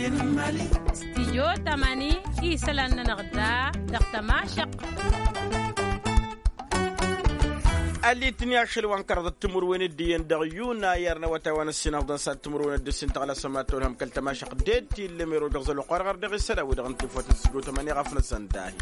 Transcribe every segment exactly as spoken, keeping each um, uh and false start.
Stijyo tamani isălan-nănăɣ da dăɣ-tămašăq. Ălitni ašăl wa n-kăraḍăt timǝrwen d-iyyăn dăɣ-yuna i-arnăwăt a-wa n-ăssinăɣ dăɣ-sat timǝrwen d-ǝssin tăɣlasăm ad-tolhăm kăl-tămašăq d-ed ti ǝllăm erojăɣ zăl oqarăɣ ărdăɣ isălan-wi-dăɣ n-tifot n-sijjo tamani ɣafnăsăn dahi.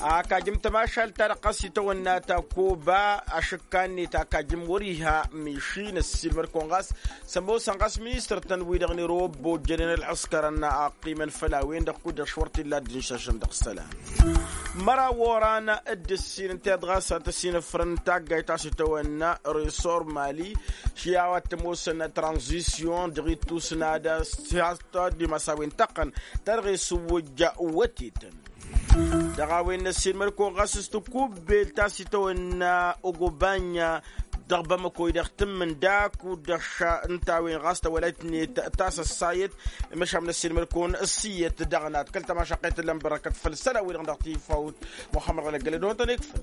Akajǝm tămašalt-ta-dăɣ ɣas itawănna takuba ašǝkka-net akajǝm wăr-iha miši n-ăssiilmăd-kăwăn ɣas s-ămoosăn ɣas ministăr-tăn-wi-dăɣ n-irobbo ǝjjănen ălɣǝskărăn a ăqqimăn făll-a-wen-dăɣ kud-dăɣ š-wăr t-illa dd-inšašăn dăɣ-isălan. Măraw oran d-ǝssin ǝnta-i-dăɣ ɣas ad-t-ăsinăfrăn taggayt ta s-itawănna resor mali, ši a-wa t-ămoosăn tranzisyon dăɣ-ittus n-ad-ăssihat d-imas a-wen tăqqăn ta dăɣ-e-s ǝwwǝjja wătetăn. Dăɣ-a-wen n-ăssiilmăd-kăwăn ɣas s-tikubbelt ta s-itawănna ogobanya dăɣ-bamăko-i-dăɣ tǝmmǝn daku-dăɣ ša ǝnta a-wen ɣas tawălayt-net ta s-ăssayăt. Măšan n-ăssiilmăd-kăwăn ăssiyyăt dăɣ-nat kăl-tămašaqet ǝllăn bărăkăt făll-isălan-wi-dăɣ dăɣ-tifawt muxămmăd ɣălăggălăd otăn ikfăl.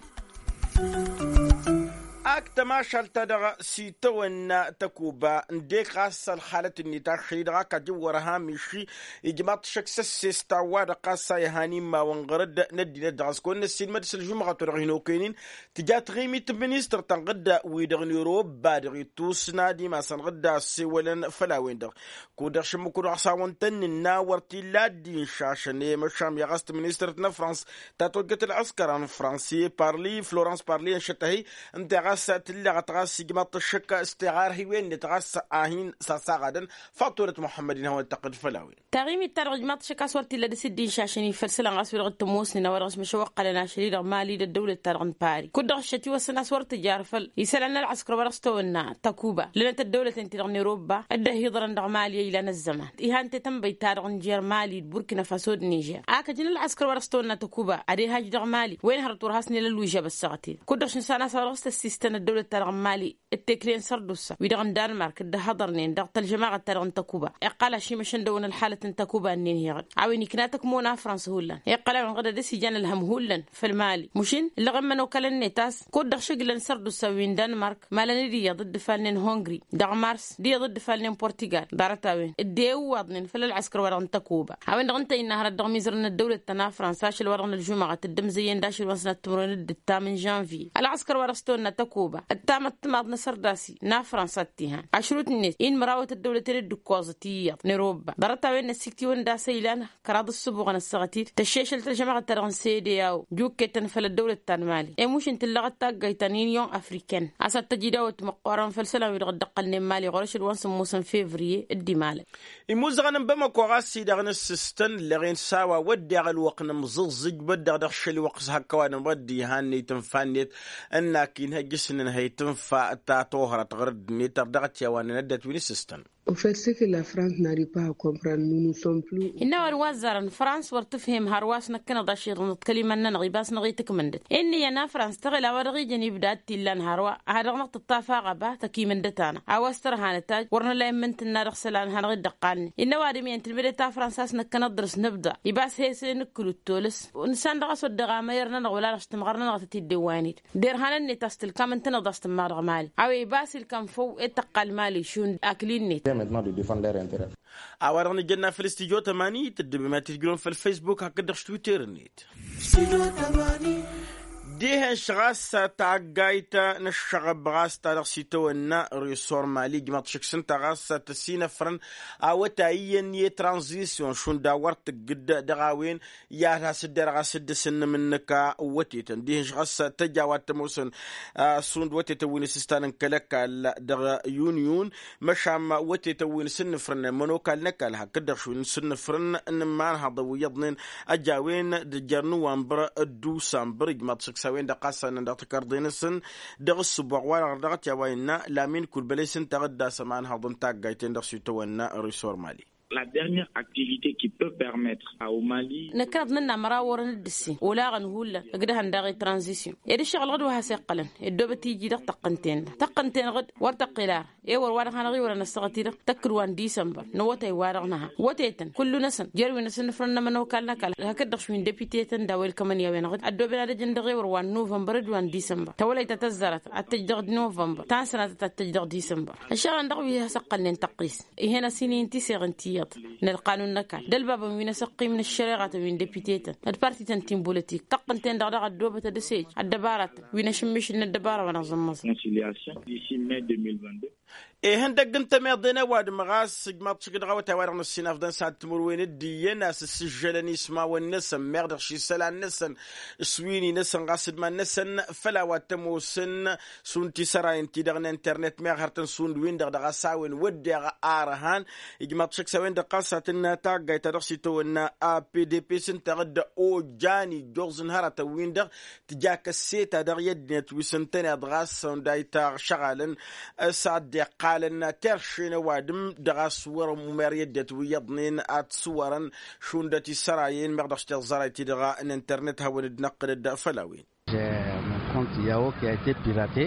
Ak tămašalt-ta-dăɣ s-itawănna tăkuba ǝndek ɣas ălxalăt-net ašăl-i-dăɣ akajǝn wăr-ăha miši ijmaḍ-t šăkk s-ăssest a-wa-dăɣ ɣas a ihan immawăn ɣur-dd n-ăddinăt dăɣ-s kăwăn năssiilmăd s-ălžumɣăt wa dăɣ-hin-okăynen. Tǝja taɣimit n-ministăr ta n-ɣǝdda-wi-dăɣ n-irobba dăɣ-ittus n-ad-imasăn ɣǝdda ăssewălăn făll-a-wen-dăɣ kud-dăɣ šǝmmǝk-wi-dăɣ s-awăn-tăn-nǝnna wăr t-illa dd-inšašăn i-măšan i-ɣas t-ministăr-t n-ăfrans ta tawăjjăt ălɣǝskăr n-fransi parli florans parli ănšăt-ăhi. Ǝnta ɣas tǝlleɣăt ɣas ijmaḍ-t ăššăk s-tiɣarhiwen-net ɣas a hin-sasaɣadăn. Faḍt wălăt muḥămmăd-in hawăn-tăqqǝd făll-a-wen. Taɣimit-ta-dăɣ ijmaḍ-t ăššăk a-s wăr t-illa dăr-s dd-inšašăn i-făll-isălan ɣas wi-dăɣ t-ămoosnen a-wa dăɣ-s măšăwăqqălăn ašăl-i-dăɣ mali d-ăddăwlăt-ta-dăɣ n-pari kud-dăɣ ăššăt-i-wăsăn a-s wăr tǝjar făll-isălan n-ălɣǝskăr wa dăɣ-s tawănna tăkuba lănăt ăddăwlăten-ti-dăɣ n-irobba. Dd-ăhiḍărăn dăɣ-mali a ilan ăzzăman. Iha ǝnta i-tănbăyt-ta-dăɣ n-jer mali d-burkina faso d-nižer akăjăn ălɣǝskăr wa dăɣ-s tawănna tăkuba ad-ehaj dăɣ-mali. Wa inhărăt wăr hasnel ăllužab ăssaɣăt-i-dăɣ kud-dăɣ šǝnsan a-s a-wa dăɣ-s tăssistăn ăddăwlăt-ta-dăɣ n-mali d-tekle n-sărdusa wi-dăɣ n-danmark dd-ăhhăḍărnen dăɣ-tălžămaɣăt-ta-dăɣ n-tăkuba. Iqqal ašimăšăn dăɣ-wăn ălxalăt n-tăkuba-nin heɣ-dd a-wen ikna tăkmon a frans hullan iqqăl a-wen ɣǝd ad-dăr-s ijan ălhăm hullan făll-mali mušin ǝllăɣ immăn okălăn-net a-s kud-dăɣ šǝglăn sărdusa wi n-danmark malăn-dd iyyăḍ dd-ǝfalnen hungri dăɣ-mars d-iyyăḍ dd-ǝfalnen portigal ḍarăt-a-wen dd-ewwaḍnen făll-ălɣǝskăr wa dăɣ-n tăkuba. A-wen-dăɣ ǝnta innă hărăt dăɣ-imizărăn n-ăddăwlăt ta n-afrans ašăl wa dăɣ-nălžumăɣăt dd-ămzăyyăn d-ašăl wa n-sănăt timǝrwen d-ǝttam n-žănvye ălɣǝskăr wa dăɣ-s tăwănna tăkuba ǝttam ăttămaḍ n-asărdasi n-afrans ad-t-ihan ašrut-net inmărawăt ăddăwlăten d-ǝkkoẓăt iyyăḍ n-erobba ḍarăt-a-wen n-ăssiktǝwăn d-asăylan kăraḍ ǝssǝbuɣăn ăssaɣăt-dd tăššešăl tălžămaɣăt-ta-dăɣ n-sede a-o juketăn făll-ăddăwlăt ta n-mali i-mušǝn tǝllăɣăt taggayt ta n-inyon afriken a-s ad-tăj idawăt măqqoorăn făll-isălan wi-dăɣ dd-ǝqqălnen mali ɣur-ašăl wa n-sǝmmos n-fevriye. Dd-imalăn imuzăɣăn n-bamăko ɣas i-dăɣ n-ǝssǝstăn ǝlleɣ-en s-a-wa wădden ălwăqq n-imẓǝẓẓǝj băddeɣ dăɣ-šăl i-wăqq s-hăkkăwăn n-wădden ihannăy tǝnfa-net ǝnn-ak-in hăjjǝsnen hăy tǝnfa ta tohrăt ɣur-dd-net ărdăɣăt i-a-wa n-inăddăt wi n-ǝssǝstăn. Au fait ce que la France n'arrive pas à comprendre nous nous sommes plus. Innă ăwadǝm wa ăzzarăn frans wăr tǝfhim hărwa a-s năkkăneḍ ašăl iḍnăḍ kăl-iman-nănăɣ ibas năɣ-itǝkmǝndăt inn'-iyyăn a frans tăɣel a-wa dăɣ-ijăn ibda ad-t-illan hărwa a ha dăɣ-năɣ tǝṭṭaf aɣăba tăkimǝndăt-anăɣ a-wa s-tărha nătaj wăr nǝla immǝntǝnna dăɣ-isălan hanăɣ-dd-ăqqalnen. Innă ăwadǝm iyyăn tǝlmǝdăt a frans a-s năkkăneḍ dăr-s nǝbḍa ibas he-s e-nǝkkǝl d-tolăs. Nǝssan-dăɣ a-s wădden aɣămăyăr-nănăɣ wăla dăɣ-s tǝmɣăr-nănăɣ tăt-dd-ewwaynet derhanăn-net a-s tǝlkam ǝntăneḍ a-s tǝmma dăɣ-mali a-wa ibas ilkam făw ed tăqqal mali šund akli-net. A-wa-dăɣ nǝjănna făll-studyo tămani tăddǝbem ad-t-tǝjrǝwăm făll-facebook hakd-dăɣ s-twitter-net. Dihen-š ɣas taggayt n-ăššăɣăb ɣas ta dăɣ-s itawănna resor mali ǝjmăḍ šǝkk s-ǝnta ɣas tăsinăfrăn awătay iyyăn i-tranzisyon šund a wăr tǝggǝd dăɣ-a-wen i-ad-has-dd-erɣ a-s dd-sǝnnǝm n-nǝka wătetăn dihen-š ɣas tăj a-wa t-ămoosăn šund wătetăn wi n-asǝstan n-kăl-ăkall dăɣ-yunyun. Măšan wătetăn wi n-asǝnnǝfrăn n-ămănokal n-ăkall hakd-dăɣ šund n-asǝnnǝfrăn n-imanhăḍăn wi iyyăḍnen ăj a-wen d-jer-nǝwănbăr d-usănbăr ijmaḍ šǝkk s-a-wen-dăɣ ɣas a ǝnnăn dăɣ-tikărḍe-năsăn dăɣ-ǝssǝboɣ wa-dăɣ dăɣ-t i-a-wa innă lamin kulbălăy s-ǝnta ad-dd-asăm anhăḍ n-taggayt-en-dăɣ s-itawănna resor mali. La dernière activité qui peut permettre au mali. Năkkăneḍ nǝnna măraw orăn d-ǝssin olaɣăn hullan ǝgdăhăn daɣ i-tranzisyon ed ǝššăɣǝl ɣǝd wa has-iqqălăn ăddoobăt iji dăɣ-tăqqǝnten-dăɣ tăqqǝnten-ɣǝd wăr tăqqel ara. Ewăr wa-dăɣ hanăɣ-iwărăn ăssaɣăt-i-dăɣ tăkkǝd wa n-disănbăr n-awătay-wa-dăɣ nǝha wătetăn kullu-năsăn jer-wi n-asǝnnǝfrăn n-ămănokal n-ăkall hakd-dăɣ wi n-depite-tăn d-a-wa ilkămăn i-a-wen-dăɣ ăddoben ad-ăjăn dăɣ-ewăr wa n-novănbăr d-wa n-disănbăr tawălăyt ta tăzzarăt ad-tăj dăɣ-novănbăr ta n-sănatăt ad-tăj dăɣ-disănbăr. Ăššăɣǝlăn dăɣ-wi has-ăqqălnen tăqqis. Ih'-en a-s hin-intiseɣ ǝnta iyyăḍ. n-ălqanun n-ăkall d-ălbabăn wi n-asăqqim n-ăššăreɣatăn wi n-depite-tăn d-partităn ti n-bolotik tăqqǝnten-dăɣ daɣ ăddoobăt ad-ăsej ăddăbaratăn wi n-ašǝmmišǝl n-ăddăbara wa n-aẓǝmmăẓ. Ihăndăgg n-tămeḍe n-ăwadǝm ɣas ǝjmaḍ-t šik dăɣ-awătay wa dăɣ-năssinafḍăn s-ad-timǝrwen d-iyyăn a-s ǝssǝžžălăn ismawăn-năsăn meɣ dăɣ-ši isălan-năsăn s-win-i-năsăn ɣas d-iman-năsăn făll-a-wa t-ămoosăn šund tisărayăn-ti-dăɣ n-internet meɣ hărătăn šund-win-dăɣ dăɣ-a-s a-wen wădden arhan. Ijmaḍ-t šăkk s-a-wen-dăɣ ɣas ad-tǝnnă taggayt ta dăɣ-s itawănna a pdp s-ǝnta dd-ojjan ijjoẓ n-hărătăn-win-dăɣ tǝja kăsseta dăɣ-i ăddinăt wi s-ǝntăneḍ ɣas šund a itaɣšăɣalăn s-ad-dd-iqqalăn terše n-ăwadǝm dăɣ-a-s wăr-ămmumer i-ăddinăt wi iyyăḍnen ad-t-sǝwărăn šund ătisărayăn meɣ dăɣ-s tiẓẓarayt-ti-dăɣ n-internet hawăn-dd-năqqǝlăd făll-a-wen. Mon compte yaho qui a été piraté.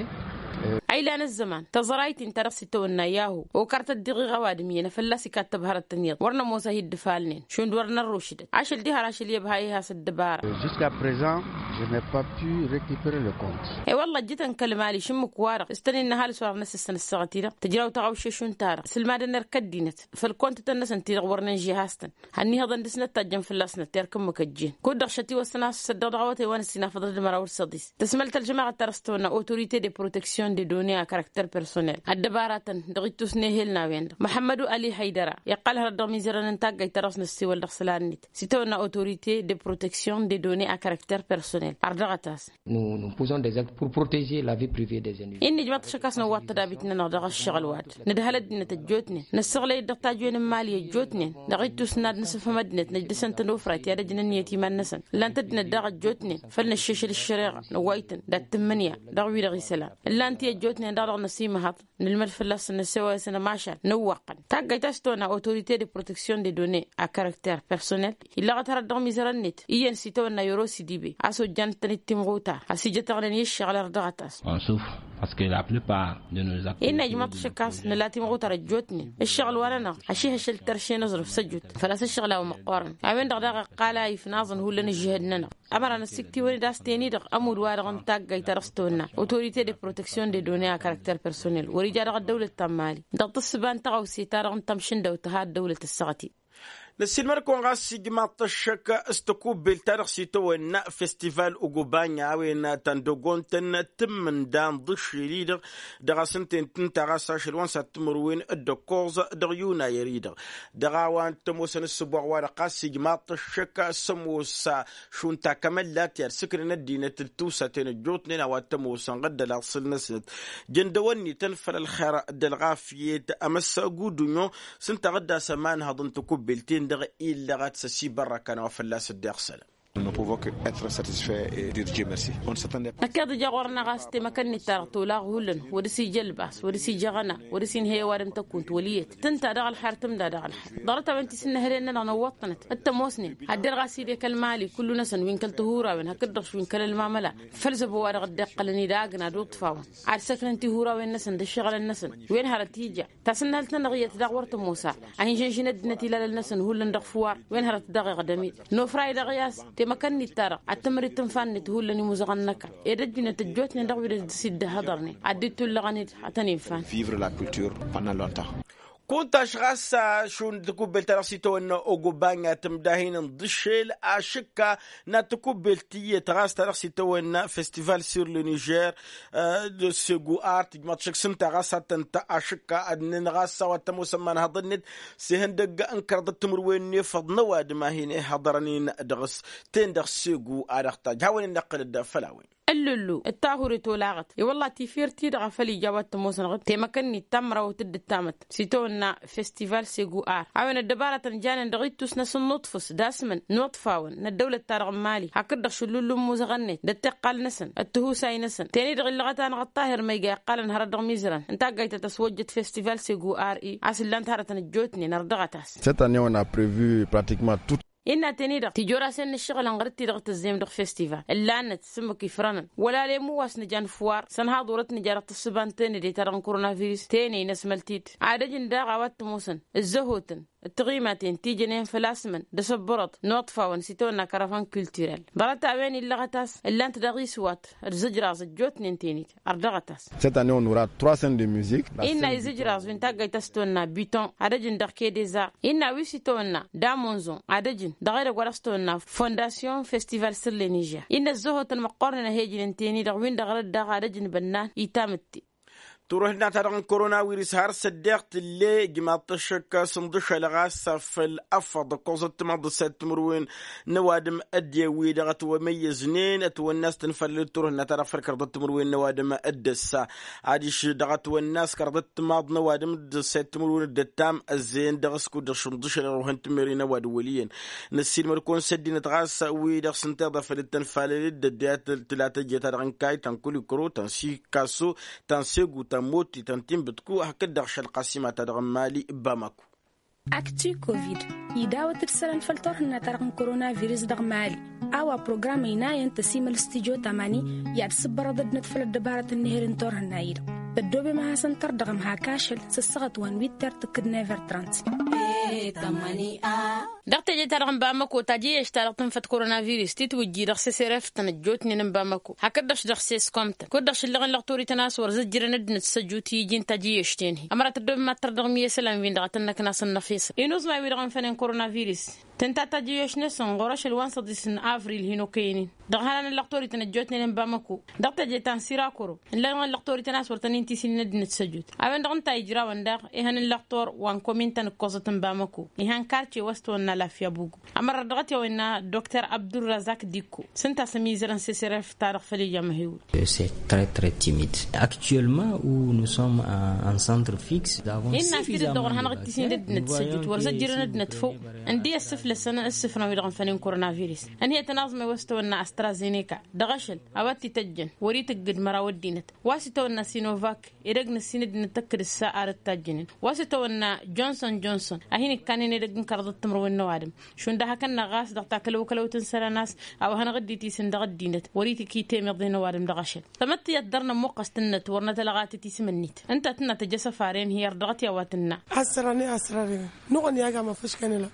A ilan ăzzăman tăẓrayt-in ta dăɣ-s itawănna yaho okăr tăddiɣiɣ ăwadǝm iyyăn a fălla-s ikattăb hărăttăn iyyăḍ wăr nămoos a hi-dd-ifalnen šund wăr nărrušdăt ašăl diha ar ašăl i-ăbha iha s-ăddăbara. Jusqu'à présent je n'ai pas pu récupérer le compte. I-wălla ăjjǝtăn kăl-mali šǝmmǝk-wa-dăɣ s-tăn-in n-ăhalǝs wăr năsǝssăn ăssaɣăt-i-dăɣ tǝjraw taɣăwše šund ta-dăɣ s-ǝlmadăn erk ăddinăt făll-comptătăn-năsăn ti-dăɣ wăr nǝnžeh has-tăn hănnihăḍăn dăɣ-s năttajjăn fălla-s năterk ǝmmǝk ăjjeen kud-dăɣ šătiwăssăn a-s s-săddăɣ dăɣ-awătay wa n-ăssinafăḍăd măraw d-săḍis. Tăsmăl tălžămaɣăt ta dăɣ-s tăwănna autorité de protection de données à caractăr personnel ăddăbaratăn dăɣ-ittus n-ehel n-a-wen-dăɣ măḥămmădu ali haydăra iqqăl hărăt dăɣ-imizărăn n-taggayt ta dăɣ-s năssiwăl dăɣ-isălan-net s-itawănna autorité de protection de données à caractăr personnel ardăɣăt-as. Nous nous posons des actes pour protéger la vie privée des individus. Innă ijmaḍ-t ašăk a-s năwwat tădabit-nănăɣ dăɣ-ăššăɣǝl wa-dăɣ nǝdhăl ăddinăt ăjjootnen năssăɣlăy-dd dăɣ-tajwen n-imali ăjjootnen dăɣ-ittus n-ad-nǝsǝfhăm ăddinăt năjdăsăn-tăn ofrayt i-ad-ăjnăn iyyăt iman-năsăn ǝllan-t ăddinăt daɣ ăjjootnen făll-năššešăl ăššăreɣa năwway-tăn d-ad-tǝmmǝnǝya dăɣ-wi-dăɣ isălan ǝllan-t i-ăjjootnen daɣ dăɣ-năsimăhăḍ nǝlmăd fălla-săn năssewăyăsăn ămašal nǝwwăqqăn taggayt a-s tăwănna autorité de protection de données à caractère personnel illăɣăt hărăt dăɣ-imizărăn-net iyyăn s-itawănna yăro s-idibe a-s ojjan-tăn-dd timɣutar a-s ijătăɣnen i-ǝššăɣǝl ărdăɣăt-as. On souffre parce que la plupart de nos activités innă ijmaḍ-t ašăk a-s nǝla timɣutar ăjjootnen ǝššăɣǝl-wa-nănăɣ ašihăšăl terše n-aẓrǝf s-ăjut făl-a-s ǝššăɣǝl a-wa măqqoorăn a-wen-dăɣ daɣ iqqal a ifnaẓăn hullan ǝžžihăd-nănăɣ ămăra năssiktǝwăn-dd a-s ten-i-dăɣ ămudd-wa-dăɣ n-taggayt ta dăɣ-s tăwănna autorité de protection de données à caractère personnel wăr-ija dăɣ-ăddăwlăt ta n-mali dăɣ-tǝssǝba n-tăɣawse ta dăɣ-n tamšǝndawt tǝha ăddăwlăt ăssaɣăt-i. Năssiilmăd-kăwăn ɣas ijmaḍ-t ăššăk s-tăkubbelt ta dăɣ-s itawănna festival ugubanya a-wen ta n-dăgg-ontăn tǝmmǝnda n-iḍǝššel-i-dăɣ dăɣ-asǝnten tǝnta ɣas ašăl wa n-sat timǝrwen d-ăkkoẓ dăɣ-yunayăr-i-dăɣ dăɣ-a-wa n-tămoosăn ǝssǝboɣ-wa-dăɣ ɣas ijmaḍ-t ăššăk s-ămoos šund takămăllat i-ad-sǝknen ăddinăt d-tiwsaten ăjjootnen a-wa t-ămoosăn ɣǝddăl aḍsǝl-năsnăt jăndăwăn-ităn făll-ălxer d-ălɣafyăt. Amăssagudǝnyo s-ǝnta ɣǝddas ămanhăḍ n-tăkubbelt-en-dăɣ illăɣăt s-ăsibărrăkăn a-wa fălla-s dd-iɣsălăn. Năkkeḍ ija ɣur-năɣ a-s temăkăn-net-ta-dăɣ tolaɣ hullan wăr dăr-s ija ălbas wăr dăr-s ija aɣăna wăr dăr-s inhăy ăwadǝm tăkunt wăl' iyyăt tǝnta daɣ ălxer tǝmda daɣ ălxer ḍarăt-a-wen ti s-ǝnnăhălen-nănăɣ năwwăḍ-tănăt d-tămoosnen. Ad-derɣ a-s idek ălmali kullu-năsăn wi n-kăl-tihurawen hakd-dăɣ wi n-kăl-ălmamăla făll-zăbo-wa-dăɣ dd-iqqălăn-dd agna d-uṭṭfawăn ad-săknăn tihurawen-năsăn d-ǝššăɣǝlăn-năsăn. Wen hărăt ija tasǝnnăhălt-nănăɣ iyyăt daɣ wăr tămoos ara a hin-žănžǝn ăddinăt ilalăn-năsăn hullan dăɣ-făwar wen hărăt daɣ iɣdăm-dd nofray dăɣ-i a-s temăkăn-nit-ta-dăɣ ad-tǝmăr-dd tǝnfa-net hullan imuzăɣăn n-ăkall ed ăjjǝynet ăjjootnen dăɣ-wi dăɣ-s dd-ăhhăḍărnen ad-dd-tulluɣăn-dd ad-tăn-infan. Vivre la culture pendant longtemps. Kunta-š ɣas šund tăkubbelt ta dăɣ-s itawănna ogobanya tǝmdahin n-iḍǝššel ašǝkka n-ad-tăkubbelt tiyyăt ɣas ta dăɣ-s itawănna festival sur le niger. De segu art ijmaḍ šăkk s-ǝnta ɣas ad-tăn-ta ašǝkka ad-nǝnɣas a-wa t-ămoosăn imanhăḍăn-net s-ihăndăgg n-kăraḍăt timǝrwen n-efăḍ n-ăwadǝm a hin-ihăḍărăn-in dăɣ-s. Ten-dăɣ segu a dăɣ-tajj hawăn-in-năqqǝlăd făll-a-wen. Ăllollo d-tahure tolaɣăt i-wălla tifert-i-dăɣ a făl ija a-wa t-ămoosăn ɣǝd temăkăn-nit ta n-mărawăt d-ǝttamăt s-itawănna festival segu ar a-wen ăddăbaratăn janen dăɣ-ittus-năsăn n-uṭfǝs d-asmǝn n-uṭfawăn n-ăddăwlăt-ta-dăɣ n-mali hakd-dăɣ šǝllullu n-imuzăɣăn-net d-ăttiqqal-năsăn d-tihusay-năsăn. Ten-i-dăɣ illăɣăt-anăɣ ăṭṭahir ma iga iqqalăn hărăt dăɣ-imizărăn n-taggayt ta tăswăjjăt festival segu ar i a-s ǝllan-t hărătăn ăjjootnen ărdăɣăt-as. Cette année on a prevu pratiquement tout. Innă ten-i-dăɣ tijor-asen n-ǝššăɣǝlăn ɣăr-t-i-dăɣ tăzzem dăɣ-festival ǝllanăt s-ǝmmǝk ifrănăn wăla lemu wa s-nǝja n-făwar sănhaḍ orăt nǝja dăɣ-tǝssǝba n-tenăde-ta-dăɣ n-koronavirus tenăy năsmăl-t-dd. Ad-ăjǝn daɣ a-wa t-ămoosăn ǝzzăhotăn d-tiɣimaten ti jănen făl-a-s măn d-asăbbărăḍ n-oḍfawăn s-itawănna kăravăn kulturel. Ḍarăt-a-wen illăɣăt-as ǝllan-t dăɣ-iswat d-izǝjraẓ ăjjootnen tenit. Ărdăɣăt-as. Cette année on aura trois scènes de musique. Innă izǝjraẓ wi n-taggayt a-s tăwănna biton ad-ăjǝn dăɣ-kedeza. Innă wi s-itawănna damonzon ad-ăjǝn dăɣ-edăgg wa dăɣ-s tăwănna fondasyon festival sǝrlenižya. Innă ăzzăhotăn măqqornen a he-ǝjǝnen teni-dăɣ win-dăɣ rădd daɣ ad-ăjǝn bănnan itamǝtte. Turhǝnna-ta-dăɣ n-korona wirǝs har s-ăddeɣ tǝlle ijmaḍ-t ăššăk s-inḍǝšăl ɣas făll-ăffăḍ ǝkkoẓăt timaḍ d-ǝssayăt timǝrwen n-ăwadǝm. Ăddin wi-dăɣ ătwămăyyăznen ătwănna a-s tǝnfălăl turhǝnna-ta-dăɣ făll-kăraḍăt timǝrwen n-ăwadǝm. D-ăssa adiš dăɣ-ătwănna a-s kăraḍăt timaḍ n-ăwadǝm d-ǝssayăt timǝrwen d-ăttam ăzzeyăn dăɣ-s kud-dăɣ šǝnḍǝšăl ărwăhăn timeren ăwadǝm wăl' iyyăn. Năssiilmăd-kăwăn s-ăddinăt ɣas wi-dăɣ s-ǝnta iḍa făll-dd-tănfalăl d-ăddinăt tǝla tăjje-ta-dăɣ n-kay ta n-kulikro ta n-sikaso ta n-segu ta n-moti ta n-tinbǝtku hakd-dăɣ šălqasima-ta-dăɣ n-mali. Bamako. Aktu covid idawăt-dd isălan făll-turhǝnna-ta-dăɣ n-koronavirus dăɣ-mali. A-wa program ăynayăn tăsimăl studyo tamani i-ad-sǝbbărăḍ ăddinăt făll-ăddăbarăt n-ehăl n-turhǝnna-i-dăɣ. Tăddoobem ad-hasăn-tărdăɣăm hak ašăl s-ăssaɣăt wa n-witter tǝkkǝd never trant. Dăɣ-teje-ta-dăɣ n-bamako tajǝyyăš-ta-dăɣ tǝnfăt koronavirus titwǝjji dăɣ-seseref-tăn ăjjootnen n-bamako hakd-dăɣ s-dăɣ-seskom-tăn kud-dăɣ šǝllăɣăn lăɣ torităn a-s wăr zǝjjǝrăn ăddinăt s-ăjut i-iji n-tajǝyyăš-ten-hi. Ămăra tăddoobem ad-tărdăɣăm i-isălan-win-dăɣ a tăn-năkna s-ănnăfesăn inuẓmay-wi-dăɣ ănfănen koronavirus tǝnta tajǝyyăš-năsăn ɣur-ašăl wa n-săḍis n-avril hin-okăynen. Dăɣ-ihănan n-lăqtorităn ăjjootnen n-bamăko dăɣ-teje ta n-sirakoro ǝllăɣăn lăqtorităn a-s wăr tăn-in-tisǝnnen ăddinăt s-ăjut. A-wen-dăɣ ǝnta a ijrawăn daɣ ihăn n-lăqtor wa n-komin ta n-ǝkkoẓăt n-bamăko ihăn karce wa s-tăwănna lafya bugu. Ămăra dăɣ-t i-a-wen n-a dokter abdurrazak dikko s-ǝnta a-s ămizărăn seseref-ta-dăɣ făll-ija măhewǝl. C'est très très timide. Actuellement où nous sommes en centre fixe. Innă a-s tidǝt dăɣ-wăr hanăɣ-dd-tisǝnnin ăddinăt s-ăjut wăr zăjjărăn ăddinăt făw. Ǝndi ăssǝflăsăn ǝssǝfrăn-wi-dăɣ ănfănen koronavirus. Ănhăyăt ănaẓmay wa s-tăwănna astrazeneca dăɣ-ašăl a-wa t-ităjjăn wăr-itǝggǝd măraw ăddinăt wa s-itawănna sinovak. Edăgg n-ǝssin ăddinăt tăkkǝd ǝssa ar dd-tajjǝnen wa s-itawănna jonson jonson a hin-ǝkkanen edăgg n-kăraḍăt timǝrwen n-ăwadǝm. Šund ad-hakănna ɣas dăɣ-takălăwkălăwt n-isălan a-s a-wa hanăɣ-dd-itisǝn dăɣ-ăddinăt wăr-itǝkit i-temeḍe n-ăwadǝm dăɣ-ašăl. Tămăttiyăt dăr-nămmuqqăs tǝnnăt wăr nătălɣat i-tisǝm-net ǝnta tǝnna tăjjăsăfaren hi-ărdăɣăt i-a-wa tǝnna. Ăssărane ăssărare nuɣăn i-agam afǝškăn ila.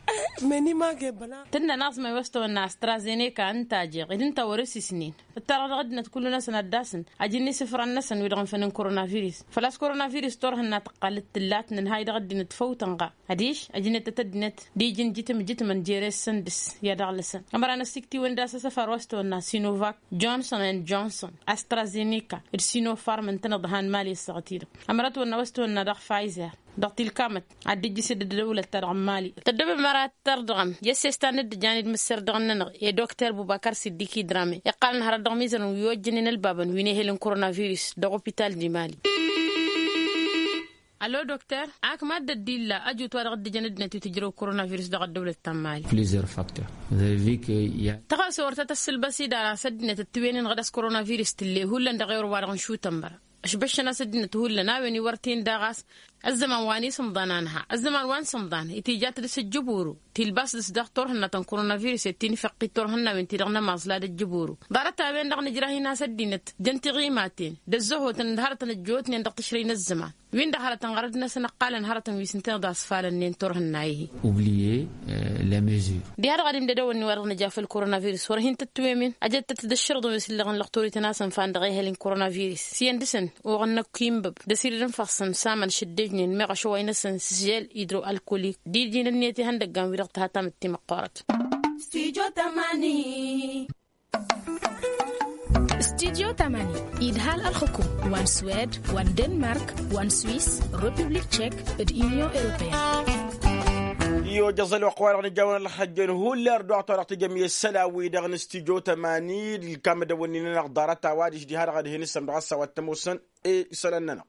Meni ma ge băla. Tǝnna naẓmay wa s-tăwănna astrazeneka ǝnta a jeɣ ed ǝnta wăr-ăsisnen. Ǝttarăɣ dăɣ-ăddinăt kullu-năsăn ad-dd-asǝn ajǝnni isǝfran-năsăn wi-dăɣ ǝnfănen koronavirus. Făl-a-s koronavirus turhǝnna tǝqqal d-tǝllat nǝnhay dăɣ-ăddinăt făw tănɣa adiš ajǝnnet-tăt ăddinăt d-iji n-jǝtǝm jǝtǝmăn jere-săn dăr-s i-ad-aɣlăsăn. Ămăra n-ăssiktǝwăn d-asăs afar wa s-tăwănna sinovak, johnson and johnson, astrazeneca d-sinofarm ǝntăneḍ han mali ăssaɣăt-i-dăɣ. Ămăra ătwănna wa s-tăwănna dăɣ-pfizer dăɣ-tilkamăt ad-dd-ijjǝs d-ăddăwlăt-ta dăɣ-mali. Tăddobem ara ad-tărdăɣăm i-ăssestan n-dd-ǝjan d-imǝsserdăɣăn-nănăɣ i-dokter bubakar siddiki drame iqqalăn hărăt dăɣ-imizărăn wi ojjănen ălbabăn wi n-ehel n-koronavirus dăɣ-opital di-mali. Alo dokter, ak mad-dd-illa ăjut wa dăɣ-dd-ǝjăn ăddinăt wi tǝjrăw koronavirus dăɣ-ăddăwlăt ta n-mali. Plusieurs facteurs. Tăɣăse wăr tăt-ăssǝlbăs idar a-s ăddinăt ăttǝwenen ɣǝd a-s koronavirus tǝlle hullan dăɣ-ewăr wa dăɣ-nǝšutăn băra. Ăšbăššăn a-s ăddinăt hullan a-wen iwărten daɣ a-s ăzzăman wa n-isǝmḍan a nǝha ăzzăman wa n-sǝmḍan itija-t dăɣ-s ǝjjǝburu tilbas dăɣ-s daɣ turhǝnna ta n-koronavirus i-tinfăqqit turhǝnna-wen-ti-dăɣ nămaẓla d-ǝjjǝburu. Ḍarăt-a-wen-dăɣ nǝjrah-in a-s ăddinăt jăn tiɣimaten d-ăzzăhotăn d-hărătăn ăjjootnen dăɣ-tǝšrăy n-ăzzăman win-dăɣ hărătăn ɣărăd-năsăn ǝqqalăn hărătăn wi s-ǝnta iḍas falăn-nen turhǝnna-i-hi. Oublier les mesures. Diha-dăɣ ad-imdăd ewănni wa dăɣ-nǝja făll-koronavirus wăr hin-tătwămen ăjăt-tăt d-ǝššărǝḍăn wi s-ǝllăɣăn lăɣ torităn-asăn fan dăɣ-ehăl n-koronavirus s-iyyăn dăɣ-săn oɣăn n-akk inbăb d-asirǝd n-fassăn s-amăn šăddejnen meɣ ašăway-năsăn s-žel idro alkolik d-iji n-ǝnniyăt ihăndăggan wi-dăɣ tǝha tamǝtte măqqoorăt. Studyo tamani. Idhal ălxǝkum wa n-swed wa n-denmark wa n-swis, republik tšek d-unyon europeyăn. Iyojăẓ ălwăqq wa-dăɣ nǝjawăn ălxăjjăn hullan ărduɣăt wa dăɣ-tǝjăm i-isălan-wi-dăɣ n-studyo tamani d-ilkam d-ewănni-nănăɣ ḍarăt-a-wa diš diha-dăɣ ad-hin-issăm dăɣ-ăssa wa t-ămoosăn. Isălan-nănăɣ.